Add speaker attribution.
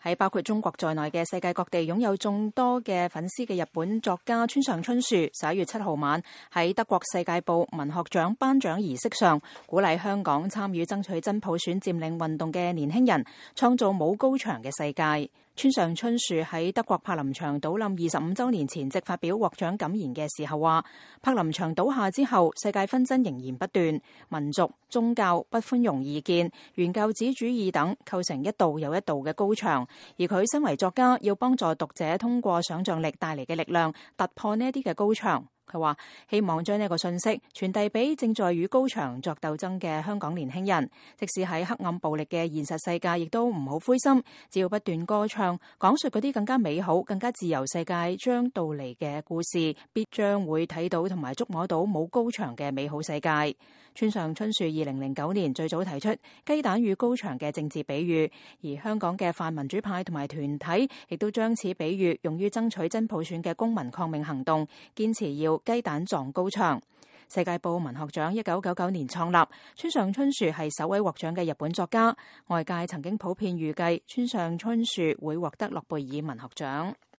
Speaker 1: 喺包括中國在內嘅世界各地擁有眾多嘅粉絲嘅日本作家村上春樹11月7號晚喺德國世界報文學獎頒獎儀式上，鼓勵香港參與爭取真普選佔領運動嘅年輕人創造冇高牆嘅世界。村上春樹喺德國柏林牆倒冧25週年前夕發表獲獎感言嘅時候話，柏林牆倒下之後，世界紛爭仍然不斷，民族、宗教、不寬容異見、原教旨主義等構成一道又一道嘅高牆，而佢身為作家，要幫助讀者通過想像力帶嚟嘅力量突破呢一啲嘅高牆。佢話希望將呢個信息傳遞俾正在與高牆作鬥爭嘅香港年輕人，即使喺黑暗暴力嘅現實世界，亦都唔好灰心，只要不斷歌唱，講述嗰啲更加美好、更加自由世界將到嚟嘅故事，必將會睇到同埋觸摸到冇高牆嘅美好世界。村上春樹2009年最早提出雞蛋與高牆嘅政治比喻，而香港嘅泛民主派同埋團體亦都將此比喻用於爭取真普選嘅公民抗命行動，堅持要雞蛋撞高牆。世界報文學獎1999年創立，村上春樹係首位獲獎嘅日本作家，外界曾經普遍預計村上春樹會獲得諾貝爾文學獎。